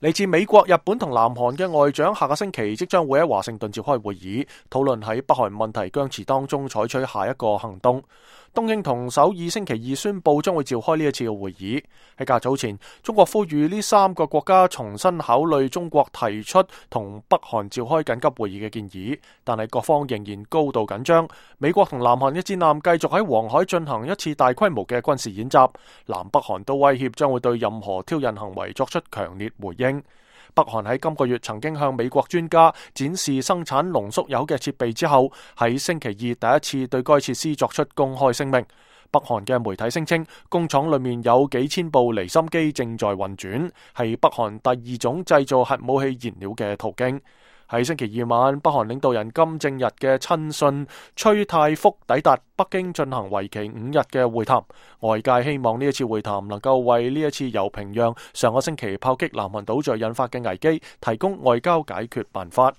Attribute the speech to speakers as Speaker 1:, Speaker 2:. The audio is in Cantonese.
Speaker 1: 嚟自美國、日本同南韓嘅外長下個星期即將會喺華盛頓召開會議，討論喺北韓問題僵持當中採取下一個行動。東京同首爾星期二宣布將會召開呢一次嘅會議。喺較早前，中國呼籲呢三個國家重新考慮中國提出同北韓召開緊急會議嘅建議，但係各方仍然高度緊張。美國同南韓嘅戰艦繼續喺黃海進行一次大規模嘅軍事演習，南北韓都威脅將會對任何挑釁行為作出強烈回應。北韓喺今個月曾經向美國專家展示生產濃縮鈾嘅設備之後，喺星期二第一次對該設施作出公開聲明。北韓嘅媒體聲稱，工廠裏面有幾千部離心機正在運轉，係北韓第二種製造核武器燃料嘅途徑。喺星期二晚，北韓領導人金正日嘅親信崔泰福抵達北京進行為期5日嘅會談。外界希望呢一次會談能夠為呢一次由平壤上個星期炮擊南韓島嶼引發嘅危機提供外交解決辦法。